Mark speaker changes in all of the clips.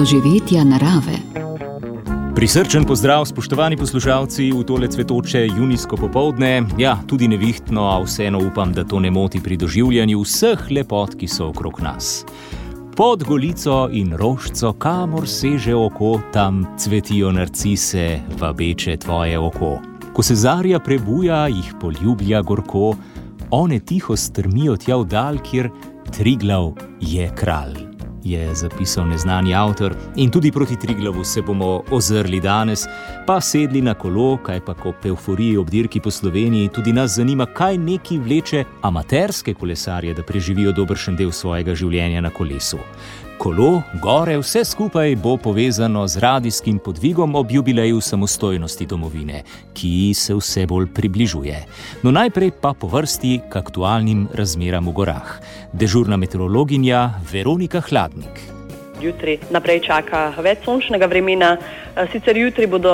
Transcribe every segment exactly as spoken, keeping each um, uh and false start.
Speaker 1: doživetja narave.
Speaker 2: Prisrčen pozdrav, spoštovani poslušalci, v tole cvetoče junijsko popoldne. Ja, tudi nevihtno, a vseeno upam, da to ne moti pri doživljanju vseh lepot, ki so okrog nas. Pod Golico in Rožco, kamor seže oko, tam cvetijo narcise, vabeče tvoje oko. Ko se zarja prebuja, jih poljublja gorko, one tiho strmijo tja v dal, kjer Triglav je kralj, je zapisal neznani avtor. In tudi proti Triglavu se bomo ozrli danes, pa sedli na kolo, kaj pa ko evforiji ob dirki po Sloveniji. Tudi nas zanima, kaj neki vleče amaterske kolesarje, da preživijo dobršen del svojega življenja na kolesu. Kolo, gore, vse skupaj bo povezano z radijskim podvigom ob jubileju samostojnosti domovine, ki se vse bolj približuje. No najprej pa po vrsti k aktualnim razmeram v gorah. Dežurna meteorologinja Veronika Hladnik.
Speaker 3: Jutri naprej čaka več sončnega vremena, sicer jutri bodo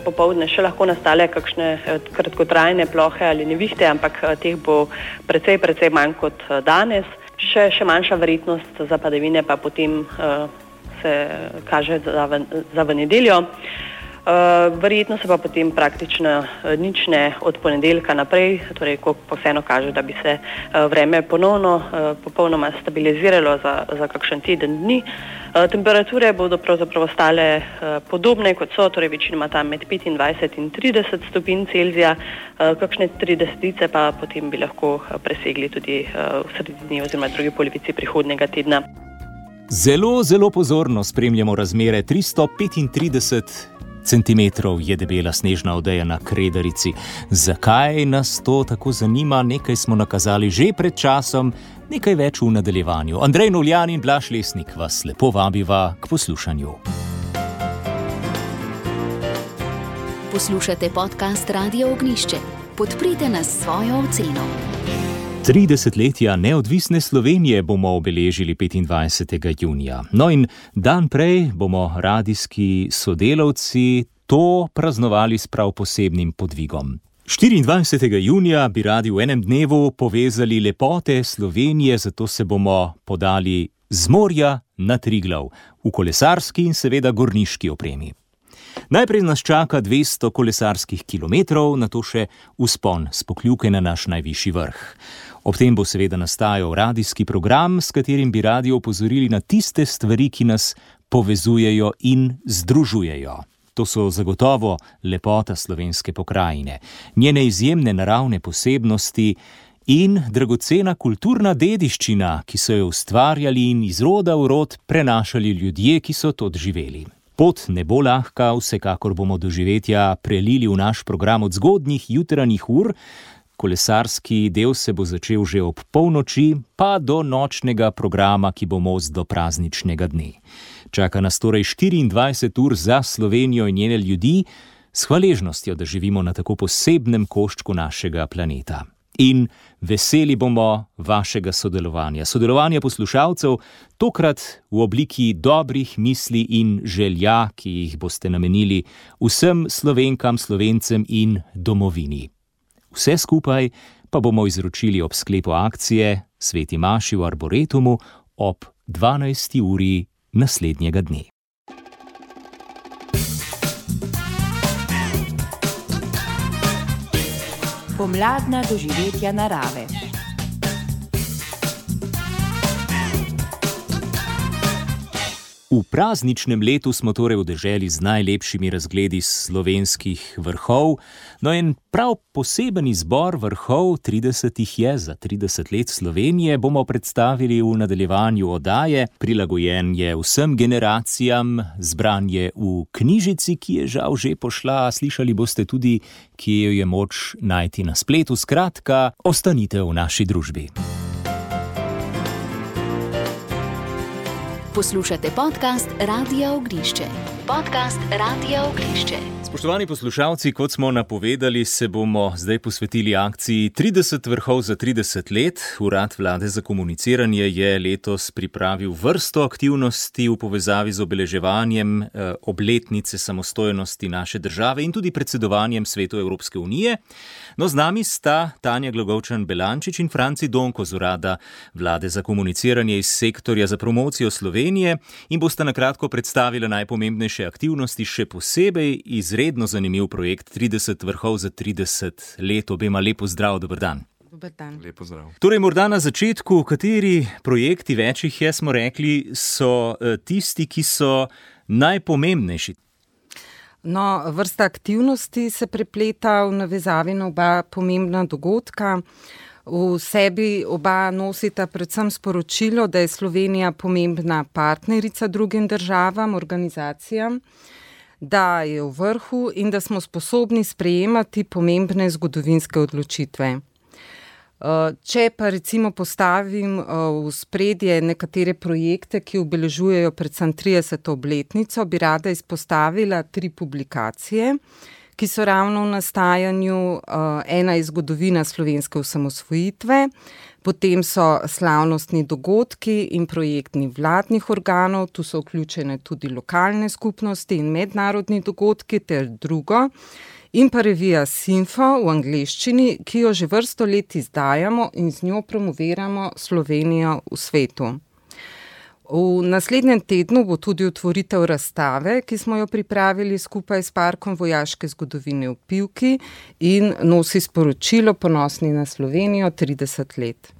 Speaker 3: popoldne še lahko nastale kakšne kratkotrajne plohe ali nevihte, ampak teh bo precej, precej manj kot danes. Še, še manjša verjetnost za padavine pa potem uh, se kaže za v, za v nedeljo. Uh, verjetno se pa potem praktično uh, nič ne od ponedeljka naprej, torej ko vseeno kaže, da bi se uh, vreme ponovno uh, popolnoma stabiliziralo za, za kakšen teden dni. Uh, temperature bodo pravzaprav ostale uh, podobne kot so, torej večinoma tam med petindvajset in trideset stopinj Celzija, uh, kakšne tridesetice pa potem bi lahko uh, presegli tudi uh, v sredini oziroma drugi polovici prihodnjega tedna.
Speaker 2: Zelo, zelo pozorno spremljamo razmere. tristo petintrideset centimetrov je debela snežna odeja na Kredarici. Zakaj nas to tako zanima? Nekaj smo nakazali že pred časom, nekaj več v nadaljevanju. Andrej Novljan in Blaž Lesnik vas lepo vabiva k poslušanju.
Speaker 1: Poslušate podcast Radio Ognjišče. Podprite nas s svojo oceno.
Speaker 2: Tri desetletja neodvisne Slovenije bomo obeležili petindvajsetega junija. No in dan prej bomo radijski sodelavci to praznovali s prav posebnim podvigom. štiriindvajsetega junija bi radi v enem dnevu povezali lepote Slovenije, zato se bomo podali z morja na Triglav, v kolesarski in seveda gorniški opremi. Najprej nas čaka dvesto kolesarskih kilometrov, nato še vzpon s Pokljuke na naš najvišji vrh. Ob tem bo seveda nastajal radijski program, s katerim bi radi opozorili na tiste stvari, ki nas povezujejo in združujejo. To so zagotovo lepota slovenske pokrajine, njene izjemne naravne posebnosti in dragocena kulturna dediščina, ki so jo ustvarjali in iz roda v rod prenašali ljudje, ki so to živeli. Pot ne bo lahka, vsekakor bomo doživetja prelili v naš program od zgodnjih jutranjih ur. Kolesarski del se bo začel že ob polnoči, pa do nočnega programa, ki bo most do prazničnega dne. Čaka nas torej štiriindvajset ur za Slovenijo in njene ljudi, s hvaležnostjo, da živimo na tako posebnem koščku našega planeta. In veseli bomo vašega sodelovanja, sodelovanja poslušalcev, tokrat v obliki dobrih misli in želja, ki jih boste namenili vsem Slovenkam, Slovencem in domovini. Vse skupaj pa bomo izročili ob sklepu akcije Sveti maši v Arboretumu ob dvanajsti uri naslednjega dne.
Speaker 4: Pomladna doživetja narave.
Speaker 2: V prazničnem letu smo torej v deželi z najlepšimi razgledi slovenskih vrhov. No in prav poseben izbor vrhov, tridesetih je za trideset let Slovenije, bomo predstavili v nadaljevanju oddaje. Prilagojen je vsem generacijam, zbran je v knjižici, ki je žal že pošla. Slišali boste tudi, kje jo je moč najti na spletu. Skratka, ostanite v naši družbi.
Speaker 1: Poslušate podcast Radia Ognjišče. podcast Radia Ognišče.
Speaker 2: Spoštovani poslušalci, kot smo napovedali, se bomo zdaj posvetili akciji trideset vrhov za trideset let. Urad Vlade za komuniciranje je letos pripravil vrsto aktivnosti v povezavi z obeleževanjem eh, obletnice samostojnosti naše države in tudi predsedovanjem Svetu Evropske unije. No, z nami sta Tanja Glagovčan-Belančič in Franci Donko z Urada Vlade za komuniciranje iz sektorja za promocijo Slovenije in bosta na kratko predstavila najpomembnejše aktivnosti, še posebej izredno zanimiv projekt trideset vrhov za trideset let. Obema lepo zdrav, dober dan.
Speaker 5: Dober dan. Lepo zdrav.
Speaker 2: Torej, morda na začetku, kateri projekti, več jih je, smo rekli, so tisti, ki so najpomembnejši?
Speaker 5: No, vrsta aktivnosti se prepleta v navezavi na oba pomembna dogodka. V sebi oba nosita predvsem sporočilo, da je Slovenija pomembna partnerica drugim državam, organizacijam, da je v vrhu in da smo sposobni sprejemati pomembne zgodovinske odločitve. Če pa recimo postavim v spredje nekatere projekte, ki obeležujejo predvsem trideseto obletnico, bi rada izpostavila tri publikacije, ki so ravno v nastajanju. Ena je zgodovina slovenske osamosvojitve, potem so slavnostni dogodki in projektni vladnih organov, tu so vključene tudi lokalne skupnosti in mednarodni dogodki ter drugo, in pa revija Sinfo v angleščini, ki jo že vrsto let izdajamo in z njo promoviramo Slovenijo v svetu. V naslednjem tednu bo tudi otvoritev razstave, ki smo jo pripravili skupaj s Parkom vojaške zgodovine v Pivki in nosi sporočilo Ponosni na Slovenijo trideset let.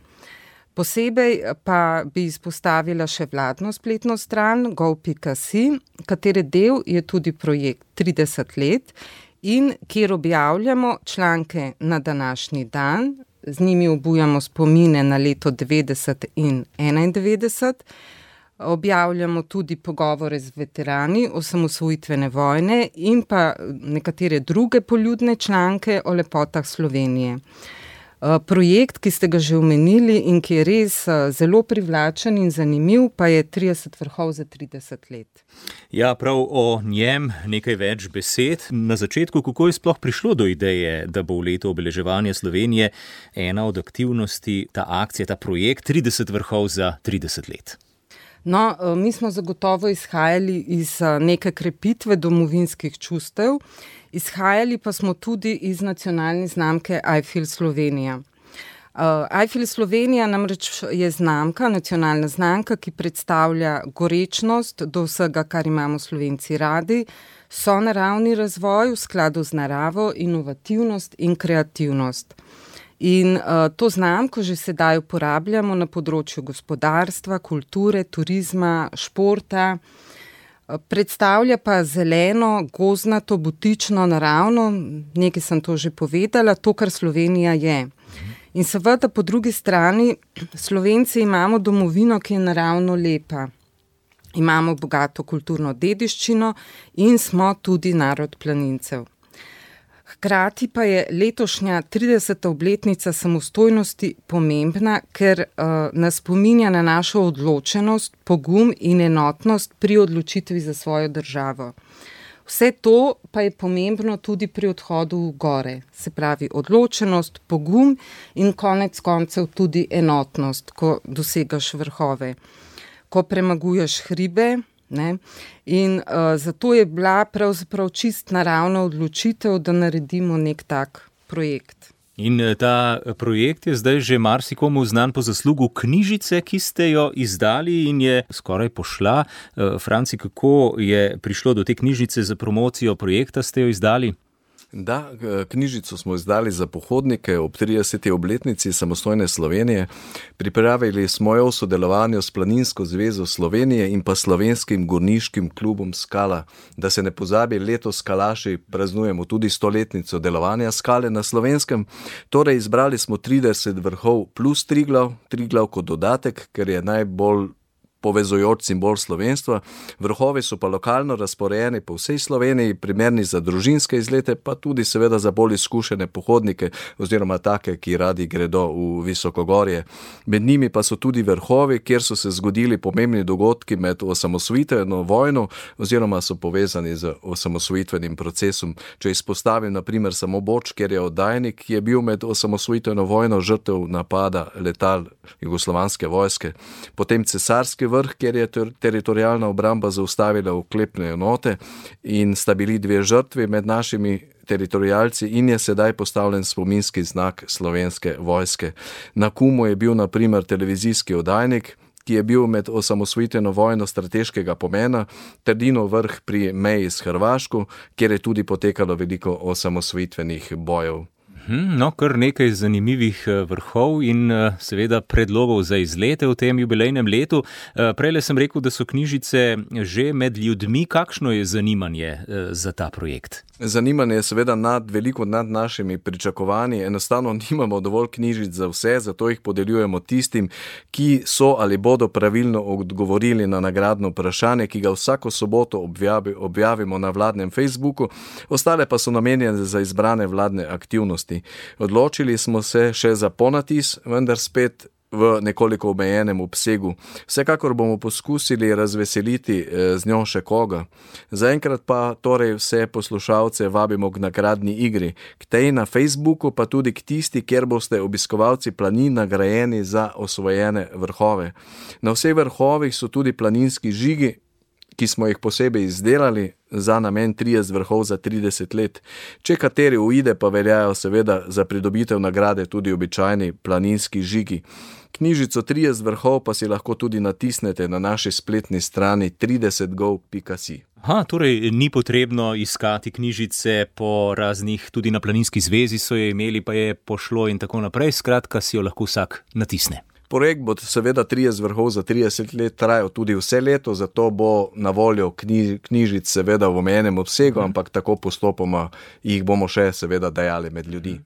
Speaker 5: Posebej pa bi izpostavila še vladno spletno stran gov pika si, katere del je tudi projekt trideset let in kjer objavljamo članke na današnji dan, z njimi obujamo spomine na leto devetdeset in enaindevetdeset, objavljamo tudi pogovore z veterani osamosvojitvene vojne in pa nekatere druge poljudne članke o lepotah Slovenije. Projekt, ki ste ga že omenili in ki je res zelo privlačen in zanimiv, pa je trideset vrhov za trideset let.
Speaker 2: Ja, prav o njem nekaj več besed. Na začetku, kako je sploh prišlo do ideje, da bo v letu obeleževanja Slovenije ena od aktivnosti, ta akcija, ta projekt trideset vrhov za trideset let?
Speaker 5: No, mi smo zagotovo izhajali iz neke krepitve domovinskih čustev, izhajali pa smo tudi iz nacionalne znamke I Feel Slovenija. Uh, I Feel Slovenija namreč je znamka, nacionalna znamka, ki predstavlja gorečnost do vsega, kar imamo Slovenci radi, sonaravni razvoj v skladu z naravo, inovativnost in kreativnost. In uh, to znamko že sedaj uporabljamo na področju gospodarstva, kulture, turizma, športa. Predstavlja pa zeleno, gozdnato, butično, naravno, nekaj sem to že povedala, to, kar Slovenija je. In seveda po drugi strani Slovenci imamo domovino, ki je naravno lepa. Imamo bogato kulturno dediščino in smo tudi narod planincev. Hkrati pa je letošnja trideseta obletnica samostojnosti pomembna, ker uh, nas spominja na našo odločenost, pogum in enotnost pri odločitvi za svojo državo. Vse to pa je pomembno tudi pri odhodu v gore, se pravi odločenost, pogum in konec koncev tudi enotnost, ko dosegaš vrhove, ko premaguješ hribe. Ne? In uh, zato je bila pravzaprav čist naravna odločitev, da naredimo nek tak projekt.
Speaker 2: In ta projekt je zdaj že marsikomu znan po zaslugu knjižice, ki ste jo izdali in je skoraj pošla. Uh, Franci, kako je prišlo do te knjižice za promocijo projekta, ste jo izdali?
Speaker 6: Da, knjižico smo izdali za pohodnike ob trideseti obletnici samostojne Slovenije. Pripravili smo jo v sodelovanju s Planinsko zvezo Slovenije in pa Slovenskim gorniškim klubom Skala. Da se ne pozabi, letos skalaši praznujemo tudi stoletnico delovanja Skale na Slovenskem. Torej izbrali smo trideset vrhov plus Triglav, Triglav kot dodatek, ker je najbolj povezujoč simbol slovenstva. Vrhovi so pa lokalno razporejeni po vsej Sloveniji, primerni za družinske izlete, pa tudi seveda za bolj izkušene pohodnike oziroma take, ki radi gredo v visokogorje. Med njimi pa so tudi vrhovi, kjer so se zgodili pomembni dogodki med osamosvojitveno vojno oziroma so povezani z osamosvojitvenim procesom. Če izpostavim na primer samo Boč, kjer je oddajnik, ki je bil med osamosvojitveno vojno žrtev napada letal jugoslovanske vojske. Potem Cesarski vrh, kjer je ter- teritorijalna obramba zaustavila oklepne enote in sta bili dve žrtvi med našimi teritorijalci in je sedaj postavljen spominski znak slovenske vojske. Na Kumu je bil na primer televizijski oddajnik, ki je bil med osamosvojitveno vojno strateškega pomena, Trdinov vrh pri meji s Hrvaško, kjer je tudi potekalo veliko osamosvojitvenih bojev.
Speaker 2: No, kar nekaj zanimivih vrhov in seveda predlogov za izlete v tem jubilejnem letu. Prejle sem rekel, da so knjižice že med ljudmi. Kakšno je zanimanje za ta projekt?
Speaker 6: Zanimanje je seveda nad, veliko nad našimi pričakovanji. Enostavno nimamo dovolj knjižic za vse, zato jih podeljujemo tistim, ki so ali bodo pravilno odgovorili na nagradno vprašanje, ki ga vsako soboto objavi, objavimo na vladnem Facebooku, ostale pa so namenjene za izbrane vladne aktivnosti. Odločili smo se še za ponatis, vendar spet v nekoliko omejenem obsegu. Vsekakor bomo poskusili razveseliti z njo še koga. Zaenkrat pa torej vse poslušalce vabimo k nagradni igri. K tej na Facebooku pa tudi k tisti, kjer boste obiskovalci planin nagrajeni za osvojene vrhove. Na vseh vrhovih so tudi planinski žigi, ki smo jih posebej izdelali za namen trideset vrhov za trideset let. Če kateri uide, pa veljajo seveda za pridobitev nagrade tudi običajni planinski žigi. Knjižico trideset vrhov pa si lahko tudi natisnete na naši spletni strani trideset gov pika si.
Speaker 2: Aha, torej ni potrebno iskati knjižice po raznih, tudi na Planinski zvezi so jo imeli, pa je pošlo in tako naprej, skratka si jo lahko vsak natisne.
Speaker 6: Projekt bo seveda trideset vrhov za trideset let trajal tudi vse leto, zato bo na voljo knjiž, knjižic seveda v omejenem obsegu, ampak tako postopoma jih bomo še seveda dajali med ljudi.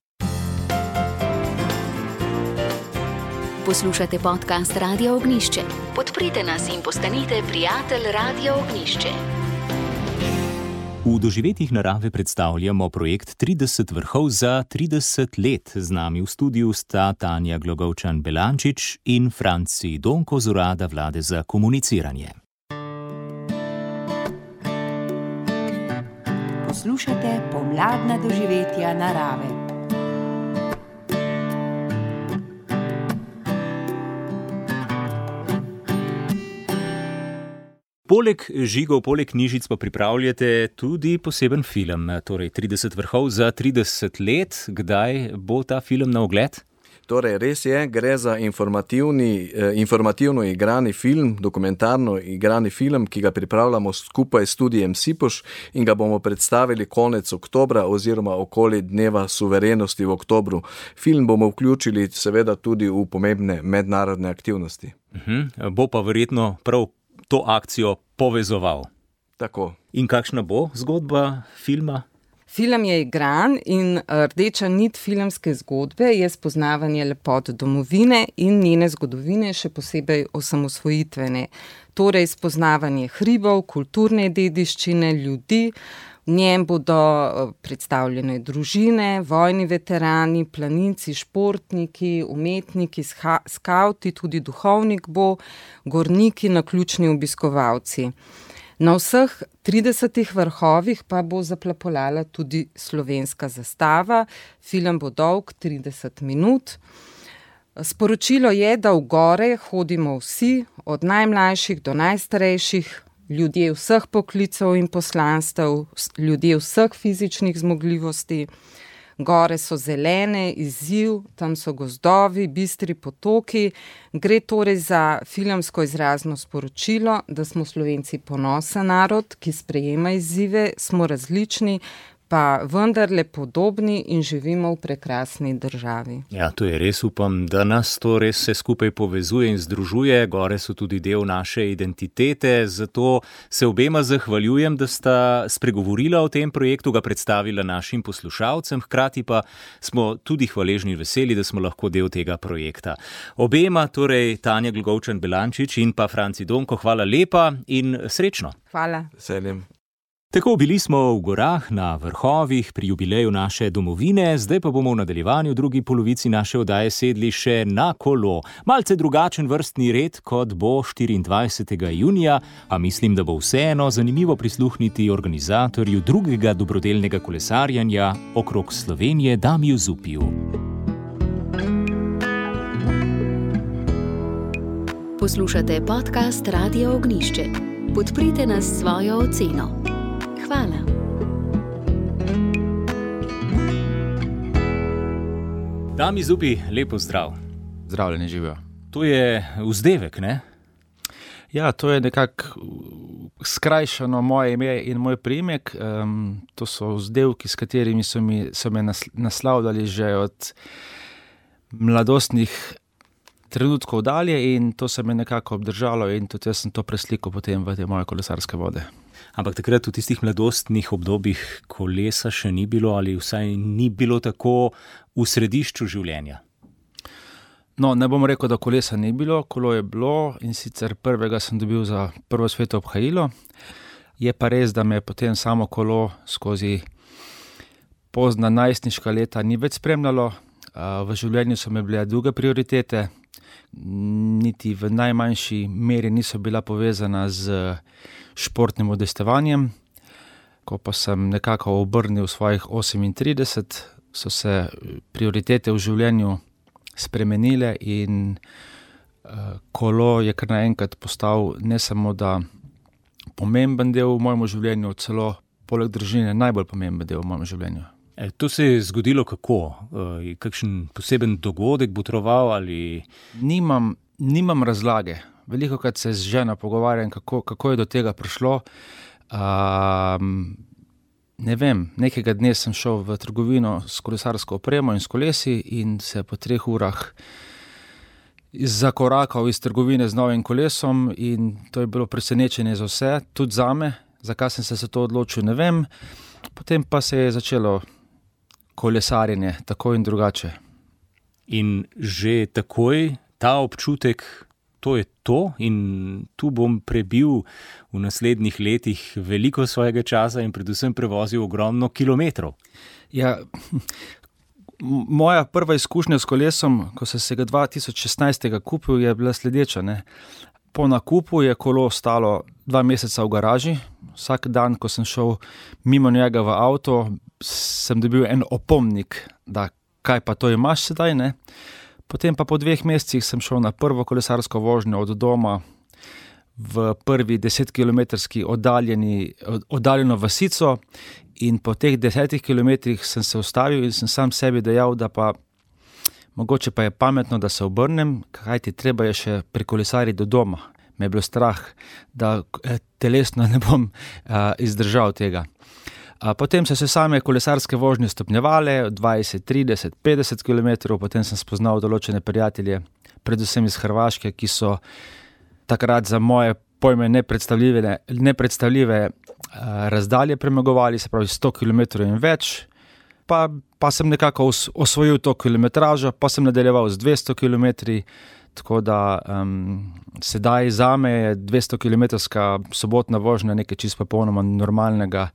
Speaker 1: Poslušate podcast Radia Ognjišče. Podprite nas in postanite prijatelj Radia Ognjišče.
Speaker 2: V doživetjih narave predstavljamo projekt trideset vrhov za trideset let. Z nami v studiu sta Tanja Glogovčan-Belančič in Franci Donko z urada vlade za komuniciranje.
Speaker 4: Poslušate pomladna doživetja narave.
Speaker 2: Poleg žigov, poleg knjižic pa pripravljate tudi poseben film, torej trideset vrhov za trideset let. Kdaj bo ta film na ogled?
Speaker 6: Torej, res je, gre za informativni, eh, informativno igrani film, dokumentarno igrani film, ki ga pripravljamo skupaj s studijem Sipoš in ga bomo predstavili konec oktobra oziroma okoli dneva suverenosti v oktobru. Film bomo vključili seveda tudi v pomembne mednarodne aktivnosti.
Speaker 2: Uh-huh. Bo pa verjetno prav to akcijo povezoval.
Speaker 6: Tako.
Speaker 2: In kakšna bo zgodba filma?
Speaker 5: Film je igran in rdeča nit filmske zgodbe je spoznavanje lepot domovine in njene zgodovine, še posebej osamosvojitvene. Torej spoznavanje hribov, kulturne dediščine, ljudi. V njem bodo predstavljene družine, vojni veterani, planinci, športniki, umetniki, skavti, tudi duhovnik bo, gorniki, naključni obiskovalci. Na vseh tridesetih vrhovih pa bo zaplapolala tudi slovenska zastava. Film bo dolg trideset minut. Sporočilo je, da v gore hodimo vsi, od najmlajših do najstarejših, ljudje vseh poklicev in poslanstev, ljudje vseh fizičnih zmogljivosti. Gore so zelene, izziv, tam so gozdovi, bistri potoki. Gre torej za filmsko izrazno sporočilo, da smo Slovenci ponosen narod, ki sprejema izzive, smo različni, pa vendarle podobni in živimo v prekrasni državi.
Speaker 2: Ja, to je res, upam, da nas to res vse skupaj povezuje in združuje. Gore so tudi del naše identitete, zato se obema zahvaljujem, da sta spregovorila o tem projektu, ga predstavila našim poslušalcem, hkrati pa smo tudi hvaležni in veseli, da smo lahko del tega projekta. Obema, torej Tanja Glgovčan-Belančič in pa Franci Donko, hvala lepa in srečno.
Speaker 5: Hvala.
Speaker 6: Veseljem.
Speaker 2: Tako, bili smo v gorah, na vrhovih, pri jubileju naše domovine, zdaj pa bomo v nadaljevanju v drugi polovici naše oddaje sedli še na kolo. Malce drugačen vrstni red, kot bo štiriindvajsetega junija, a mislim, da bo vseeno zanimivo prisluhniti organizatorju drugega dobrodelnega kolesarjanja okrog Slovenije, Damiju Zupiju.
Speaker 1: Poslušate podcast Radio Ognjišče. Podprite nas s svojo oceno. Hvala.
Speaker 2: Dami Zupi, lepo zdrav.
Speaker 7: Zdravljeni, živijo.
Speaker 2: To je vzdevek, ne?
Speaker 7: Ja, to je nekako skrajšano moje ime in moj priimek. Um, to so vzdevki, s katerimi so, mi, so me naslavljali že od mladostnih trenutkov dalje in to se me nekako obdržalo in tudi jaz sem to preslikal potem v te moje kolesarske vode.
Speaker 2: Ampak takrat v tistih mladostnih obdobjih kolesa še ni bilo ali vsaj ni bilo tako v središču življenja?
Speaker 7: No, ne bom rekel, da kolesa ni bilo, kolo je bilo in sicer prvega sem dobil za prvo sveto obhajilo. Je pa res, da me potem samo kolo skozi pozna najstniška leta ni več spremljalo. V življenju so me bile druge prioritete, niti v najmanjši meri niso bila povezana z športnim udejstvanjem. Ko pa sem nekako obrnil svojih osemintrideset, so se prioritete v življenju spremenile in uh, kolo je kar naenkrat postal ne samo da pomemben del v mojem življenju, celo poleg družine najbolj pomemben del v mojem življenju.
Speaker 2: E, to se je zgodilo kako? E, kakšen poseben dogodek botroval ali?
Speaker 7: Nimam, nimam razlage. Velikokrat se z ženo pogovarjam, kako, kako je do tega prišlo. Um, ne vem, nekega dne sem šel v trgovino s kolesarsko opremo in s kolesi in se po treh urah zakorakal iz trgovine z novim kolesom in to je bilo presenečenje za vse, tudi zame. Zakaj sem se za to odločil, ne vem. Potem pa se je začelo kolesarjenje, tako in drugače.
Speaker 2: In že takoj ta občutek, to je to in tu bom prebil v naslednjih letih veliko svojega časa in predvsem prevozil ogromno kilometrov.
Speaker 7: Ja, moja prva izkušnja s kolesom, ko sem se ga dva tisoč šestnajst kupil, je bila sledeča. Ne? Po nakupu je kolo stalo dva meseca v garaži. Vsak dan, ko sem šel mimo njega v avto, sem dobil en opomnik, da kaj pa to imaš sedaj, ne? Potem pa po dveh mesecih sem šel na prvo kolesarsko vožnjo od doma v prvi desetkilometrski oddaljeni, oddaljeno vasico in po teh desetih kilometrih sem se ustavil in sem sam sebi dejal, da pa mogoče pa je pametno, da se obrnem, kajti treba je še prekolesariti do doma. Me je bilo strah, da telesno ne bom a, izdržal tega. A potem so se same kolesarske vožnje stopnjevale, dvajset, trideset, petdeset kilometrov, potem sem spoznal določene prijatelje, predvsem iz Hrvaške, ki so takrat za moje pojme nepredstavljive, nepredstavljive a, razdalje premagovali, se pravi sto kilometrov in več. Pa, pa sem nekako osvojil to kilometražo, pa sem nadaljeval z dvesto kilometri, tako da um, sedaj zame je dvestokilometrska sobotna vožnja nekaj čisto popolnoma normalnega,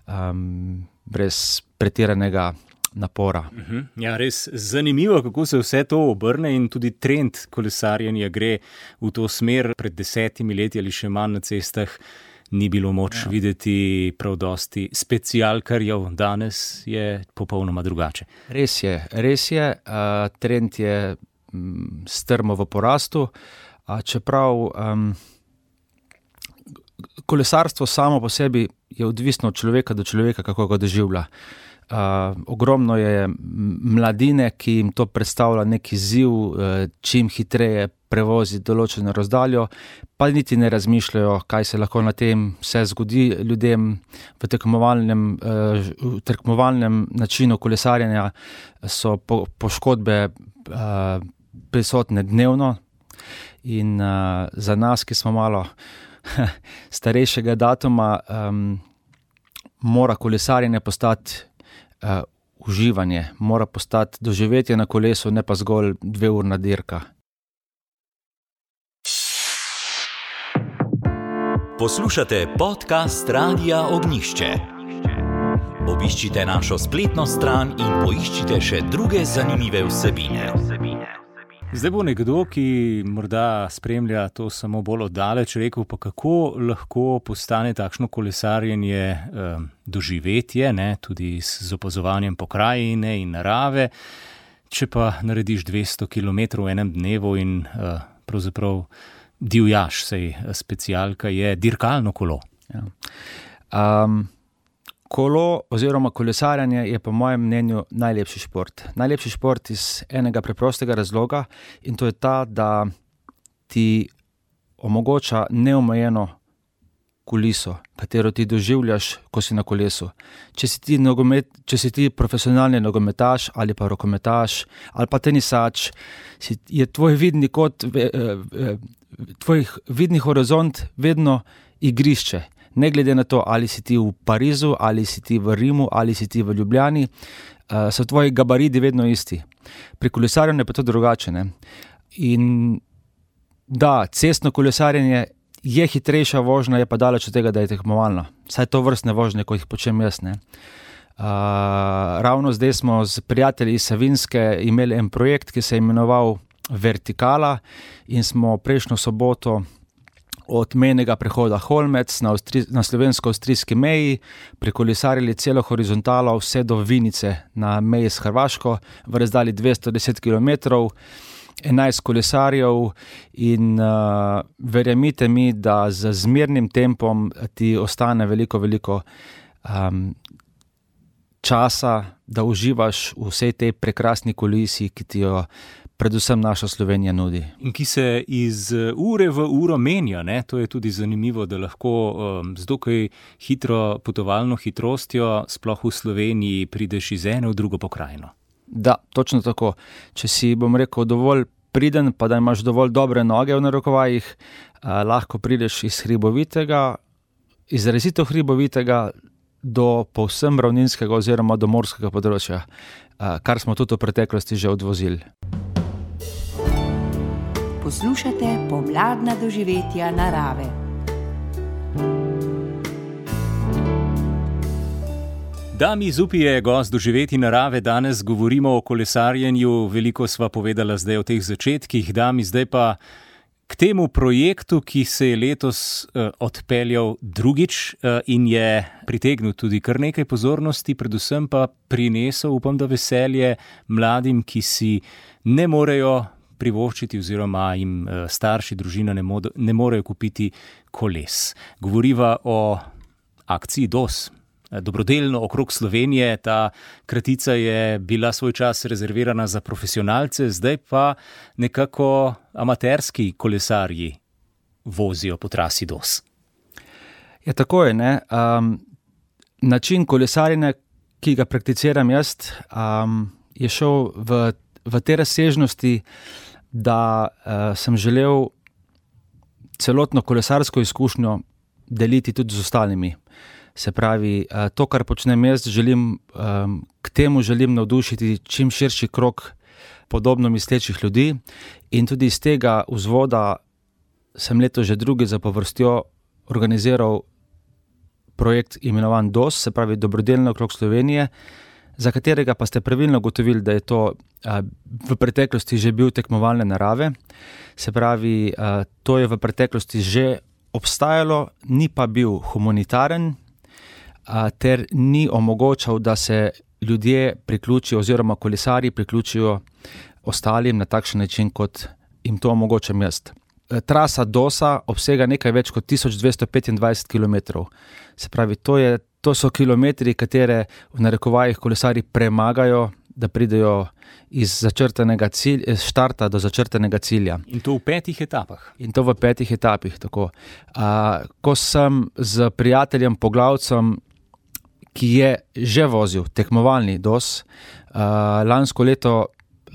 Speaker 7: um, brez pretiranega napora.
Speaker 2: Uh-huh. Ja, res zanimivo, kako se vse to obrne in tudi trend kolesarjenja gre v to smer. Pred desetimi leti ali še manj na cestah ni bilo moč ja. videti prav dosti specialkarjev, danes je popolnoma drugače.
Speaker 7: Res je, res je, uh, trend je um, strmo v porastu, a čeprav um, kolesarstvo samo po sebi je odvisno od človeka do človeka, kako ga doživlja. Uh, ogromno je mladine, ki jim to predstavlja neki izziv, uh, čim hitreje prevoziti določeno razdaljo, pa niti ne razmišljajo, kaj se lahko na tem vse zgodi ljudem v tekmovalnem, v tekmovalnem načinu kolesarjenja, so po, poškodbe uh, prisotne dnevno in uh, za nas, ki smo malo starejšega datuma, um, mora kolesarjenje postati uh, uživanje, mora postati doživetje na kolesu, ne pa zgolj dveurna dirka.
Speaker 8: Poslušate podcast Radia Ognišče. Obiščite našo spletno stran in poiščite še druge zanimive vsebine.
Speaker 2: Zdaj bo nekdo, ki morda spremlja to samo bolj oddaleč, rekel pa kako lahko postane takšno kolesarjenje eh, doživetje, ne, tudi z opazovanjem pokrajine in narave, če pa narediš dvesto kilometrov v enem dnevu in eh, pravzaprav divjaš, sej specialka je dirkalno kolo.
Speaker 7: Ja. Um, kolo oziroma kolesarjanje je po mojem mnenju najlepši šport. Najlepši šport iz enega preprostega razloga in to je ta, da ti omogoča neomejeno kuliso, katero ti doživljaš, ko si na kolesu. Če si ti, nogomet, če si ti profesionalni nogometaš ali pa rokometaš ali pa tenisač, si, je tvoj vidni kot eh, eh, tvoj vidni horizont vedno igrišče. Ne glede na to, ali si ti v Parizu, ali si ti v Rimu, ali si ti v Ljubljani, uh, so tvoji gabaridi vedno isti. Pri kolesarjenju je pa to drugače. Ne? In da, cestno kolesarjenje je hitrejša vožnja, je pa daleč od tega, da je tekmovalna. Saj to vrstne vožnje, kot jih počnem jaz. Ne? Uh, ravno zdaj smo z prijatelji iz Savinjske imeli en projekt, ki se je imenoval Vertikala in smo prejšnjo soboto od mejnega prehoda Holmec na, Avstri, na slovensko-avstrijski meji prekolesarili celo horizontalo vse do Vinice na meji s Hrvaško v razdalji dvesto deset kilometrov, enajst kolesarjev in uh, verjemite mi, da z zmernim tempom ti ostane veliko, veliko um, časa, da uživaš v vsej tej prekrasni kolisi, ki ti jo predvsem naša Slovenija nudi.
Speaker 2: In ki se iz ure v uro menja, ne? To je tudi zanimivo, da lahko um, z dokaj hitro potovalno hitrostjo sploh v Sloveniji prideš iz ene v drugo pokrajino.
Speaker 7: Da, točno tako. Če si, bom rekel, dovolj priden, pa da imaš dovolj dobre noge v narekovajih, eh, lahko prideš iz hribovitega, izrazito hribovitega do povsem ravninskega oziroma do morskega področja, eh, kar smo tudi v preteklosti že odvozili.
Speaker 4: Poslušate pomladna doživetja narave.
Speaker 2: Dami Zupi je gost doživeti narave, danes govorimo o kolesarjenju, veliko sva povedala zdaj o teh začetkih, Dami, zdaj pa k temu projektu, ki se je letos uh, odpeljal drugič uh, in je pritegnil tudi kar nekaj pozornosti, predvsem pa prinesel, upam, da veselje mladim, ki si ne morejo privoščiti oziroma jim uh, starši, družina ne, mod, ne morejo kupiti koles. Govoriva o akciji D O S. Dobrodelno okrog Slovenije, ta kratica je bila svoj čas rezervirana za profesionalce, zdaj pa nekako amaterski kolesarji vozijo po trasi D O S.
Speaker 7: Ja, tako je, ne. Um, način kolesarjenja, ki ga prakticiram jaz, um, je šel v, v te razsežnosti, da uh, sem želel celotno kolesarsko izkušnjo deliti tudi z ostalimi. Se pravi, to, kar počnem jaz, želim, k temu želim navdušiti čim širši krog podobno mislečih ljudi in tudi iz tega vzvoda sem leto že drugi zapovrstjo organiziral projekt imenovan D O S, se pravi Dobrodelno okrog Slovenije, za katerega pa ste pravilno ugotovili, da je to v preteklosti že bil tekmovalne narave. Se pravi, to je v preteklosti že obstajalo, ni pa bil humanitaren, ter ni omogočal, da se ljudje priključijo oziroma kolesarji priključijo ostalim na takšen način, kot jim to omogočam jaz. Trasa D O S-a obsega nekaj več kot tisoč dvesto petindvajset kilometrov. Se pravi, to, je, to so kilometri, katere v narekovajih kolesarji premagajo da pridejo iz začrtanega cilja, iz štarta do začrtanega cilja.
Speaker 2: In to v petih etapah.
Speaker 7: In to v petih etapih, tako. Uh, ko sem z prijateljem Poglavcem, ki je že vozil tekmovalni D O S, uh, lansko leto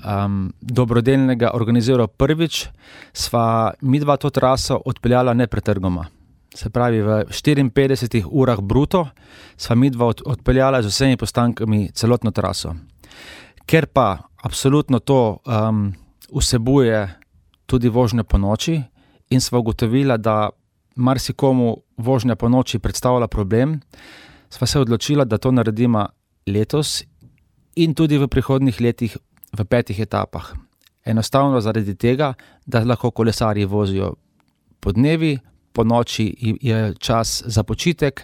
Speaker 7: um, dobrodelnega organiziral prvič, sva midva to traso odpeljala nepretrgoma. Se pravi, v štiriinpetdesetih urah bruto sva midva od, odpeljala z vsemi postankami celotno traso. Ker pa absolutno to um, vsebuje tudi vožnje po noči in sva ugotovila, da marsikomu vožnja po noči predstavlja problem, sva se odločila, da to naredimo letos in tudi v prihodnjih letih v petih etapah. Enostavno zaradi tega, da lahko kolesarji vozijo po dnevi, po noči je čas za počitek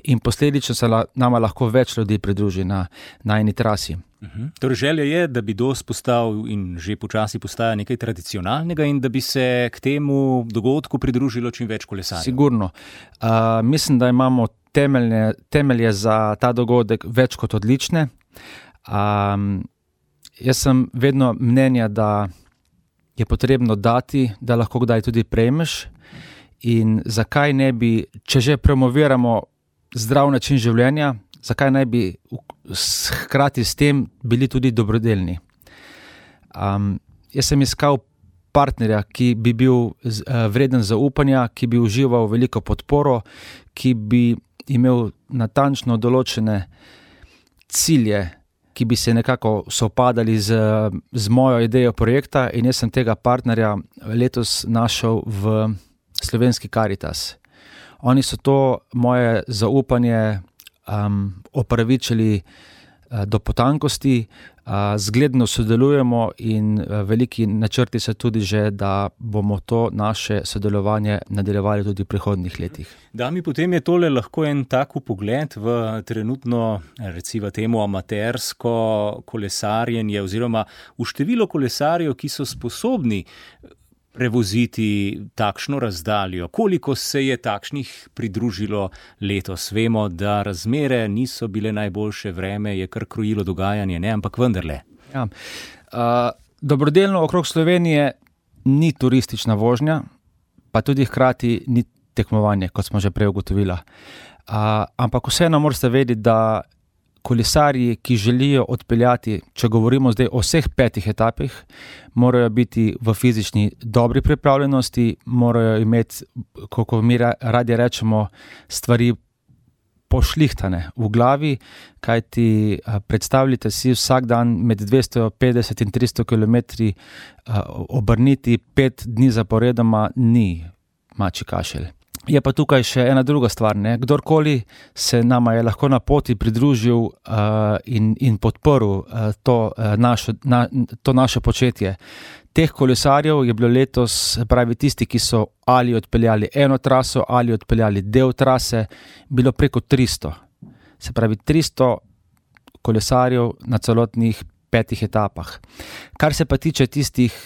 Speaker 7: in posledično se nama lahko več ljudi pridruži na, na eni trasi.
Speaker 2: Uhum. Torej želja je, da bi D O S postal in že počasi postaja nekaj tradicionalnega in da bi se k temu dogodku pridružilo čim več kolesarjev.
Speaker 7: Sigurno. Uh, mislim, da imamo temelje, temelje za ta dogodek več kot odlične. Um, jaz sem vedno mnenja, da je potrebno dati, da lahko kdaj tudi prejmeš. In zakaj ne bi, če že promoviramo zdrav način življenja, zakaj ne bi hkrati s tem bili tudi dobrodelni. Um, jaz sem iskal partnerja, ki bi bil uh, vreden zaupanja, ki bi užival veliko podporo, ki bi imel natančno določene cilje, ki bi se nekako sovpadali z, z mojo idejo projekta, in jaz sem tega partnerja letos našel v Slovenski Karitas. Oni so to moje zaupanje um, opravičili uh, do potankosti, uh, zgledno sodelujemo in uh, veliki načrti so tudi že, da bomo to naše sodelovanje nadaljevali tudi v prihodnjih letih.
Speaker 2: Da mi potem je tole lahko en tak pogled v trenutno, recimo temu, amatersko kolesarjenje oziroma v število kolesarjev, ki so sposobni prevoziti takšno razdaljo. Koliko se je takšnih pridružilo letos? Vemo, da razmere niso bile najboljše, vreme je kar krojilo dogajanje, ne, ampak vendarle.
Speaker 7: Ja. Uh, dobrodelno okrog Slovenije ni turistična vožnja, pa tudi hkrati ni tekmovanje, kot smo že prej ugotovila. Uh, ampak vseeno morate vedeti, da kolesarji, ki želijo odpeljati, če govorimo zdaj o vseh petih etapih, morajo biti v fizični dobri pripravljenosti, morajo imeti, kako mi radi rečemo, stvari pošlihtane v glavi, kajti predstavljate si vsak dan med dvesto petdeset in tristo kilometri obrniti pet dni zaporedoma ni mačji kašelj. Je pa tukaj še ena druga stvar, ne? Kdorkoli se nama je lahko na poti pridružil uh, in, in podprl uh, to, uh, našo, na, to naše početje. Teh kolesarjev je bilo letos, pravi tisti, ki so ali odpeljali eno traso, ali odpeljali del trase, bilo preko tristo. Se pravi tristo kolesarjev na celotnih petih etapah. Kar se pa tiče tistih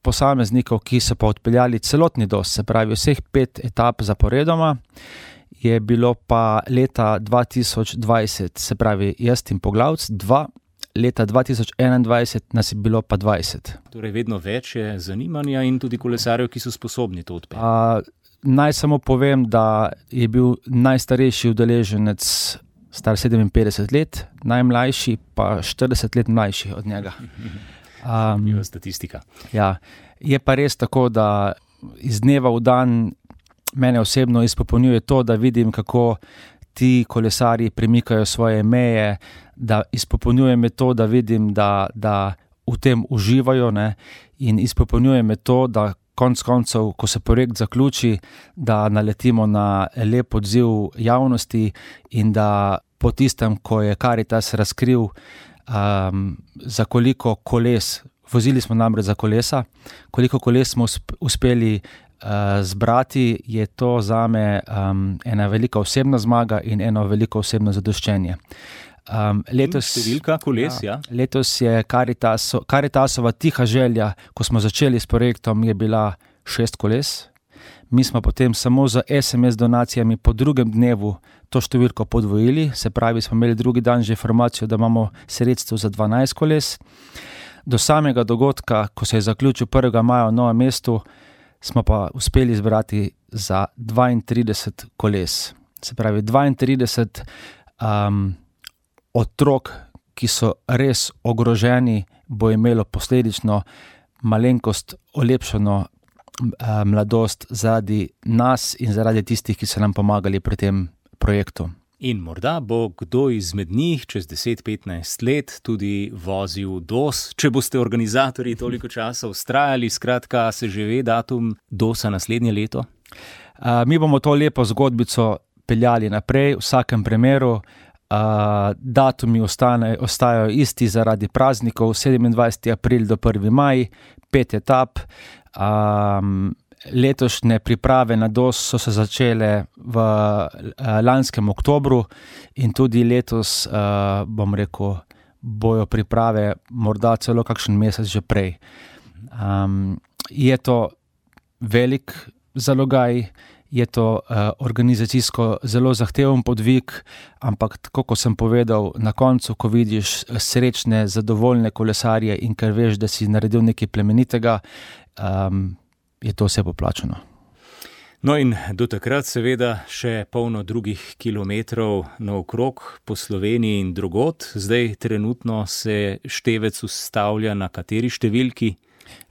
Speaker 7: posameznikov, ki so pa odpeljali celotni D O S, se pravi vseh pet etap zaporedoma, je bilo pa leta dva tisoč dvajset, se pravi jaz in Poglavc, dva, leta dva tisoč enaindvajset nas je bilo pa dvajset.
Speaker 2: Torej vedno več je zanimanja in tudi kolesarjev, ki so sposobni to odpeljati.
Speaker 7: Naj samo povem, da je bil najstarejši udeleženec star sedeminpetdeset let, najmlajši pa štirideset let mlajši od njega.
Speaker 2: Um, statistika.
Speaker 7: Ja, je pa res tako, da iz dneva v dan mene osebno izpopolnjuje to, da vidim, kako ti kolesarji premikajo svoje meje, da izpopolnjuje me to, da vidim, da, da v tem uživajo, ne? In izpopolnjuje me to, da konc koncev, ko se projekt zaključi, da naletimo na lep odziv javnosti in da po tistem, ko je Karitas razkril, Um, za koliko koles, vozili smo namreč za kolesa, koliko koles smo uspeli uh, zbrati, je to zame um, ena velika osebna zmaga in eno veliko osebno zadoščenje. Um, letos,
Speaker 2: številka koles, ja.
Speaker 7: ja. Letos je Karitaso, Karitasova tiha želja, ko smo začeli s projektom, je bila šest koles. Mi smo potem samo z es em es donacijami po drugem dnevu to številko podvojili, se pravi, smo imeli drugi dan že informacijo, da imamo sredstvo za dvanajst koles. Do samega dogodka, ko se je zaključil prvega maja v Novem mestu, smo pa uspeli zbrati za dvaintrideset koles. Se pravi, dvaintrideset um, otrok, ki so res ogroženi, bo imelo posledično malenkost olepšano uh, mladost zaradi nas in zaradi tistih, ki so nam pomagali pri tem projektu.
Speaker 2: In morda bo kdo izmed njih čez deset petnajst let tudi vozil D O S, če boste organizatorji toliko časa vztrajali, skratka, se že ve datum D O S-a naslednje leto?
Speaker 7: Uh, mi bomo to lepo zgodbico peljali naprej, v vsakem primeru. Uh, datumi ostane, ostajajo isti zaradi praznikov, sedemindvajseti april do prvi maj, pet etap. Um, Letošnje priprave na D O S so se začele v uh, lanskem oktobru in tudi letos, uh, bom rekel, bojo priprave morda celo kakšen mesec že prej. Um, je to velik zalogaj, je to uh, organizacijsko zelo zahteven podvig, ampak tako, kot sem povedal, na koncu, ko vidiš srečne, zadovoljne kolesarje in ker veš, da si naredil nekaj plemenitega, um, je to vse poplačano.
Speaker 2: No in do takrat seveda še polno drugih kilometrov naokrog po Sloveniji in drugod. Zdaj trenutno se števec ustavlja na kateri številki?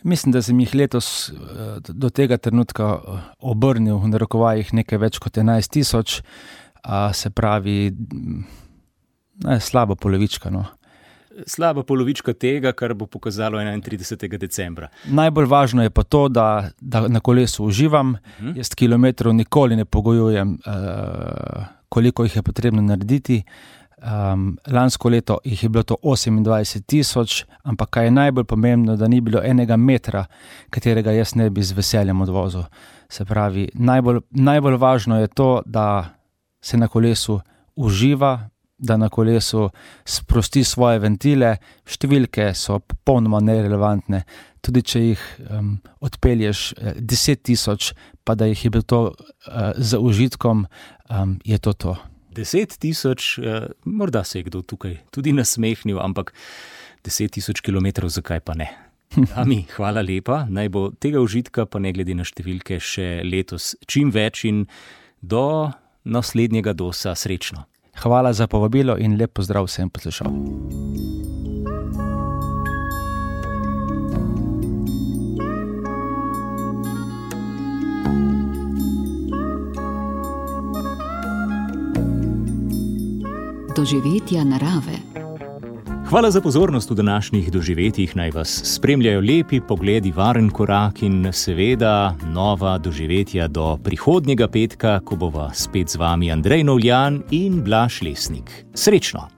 Speaker 7: Mislim, da sem jih letos do tega trenutka obrnil v narekovajih nekaj več kot enajst tisoč, se pravi ne, slaba polovička. No.
Speaker 2: Slaba polovička tega, kar bo pokazalo enaintridesetega decembra.
Speaker 7: Najbolj važno je pa to, da, da na kolesu uživam. Uh-huh. Jaz kilometrov nikoli ne pogojujem, uh, koliko jih je potrebno narediti. Um, lansko leto jih je bilo to osemindvajset tisoč, ampak kaj je najbolj pomembno, da ni bilo enega metra, katerega jaz ne bi z veseljem odvozil. Se pravi, najbolj, najbolj važno je to, da se na kolesu uživa, da na kolesu sprosti svoje ventile. Številke so popolnoma nerelevantne. Tudi če jih um, odpelješ deset tisoč, pa da jih je bilo to uh, za užitkom, um, je to to.
Speaker 2: Deset tisoč, uh, morda se je kdo tukaj tudi nasmehnil, ampak deset tisoč kilometrov, zakaj pa ne? Ami, hvala lepa. Naj bo tega užitka, pa ne glede na številke, še letos čim več in do naslednjega D O S-a srečno.
Speaker 7: Hvala za povabilo in lep pozdrav vsem poslušalcem.
Speaker 1: Doživetja narave.
Speaker 2: Hvala za pozornost v današnjih doživetjih. Naj vas spremljajo lepi pogledi, varen korak in seveda nova doživetja do prihodnjega petka, ko bova spet z vami Andrej Novljan in Blaž Lesnik. Srečno!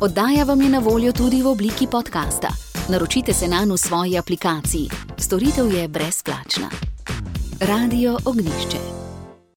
Speaker 1: Oddaja vam je na voljo tudi v obliki podcasta. Naročite se nanj v svoji aplikaciji. Storitev je brezplačna. Radio Ognjišče.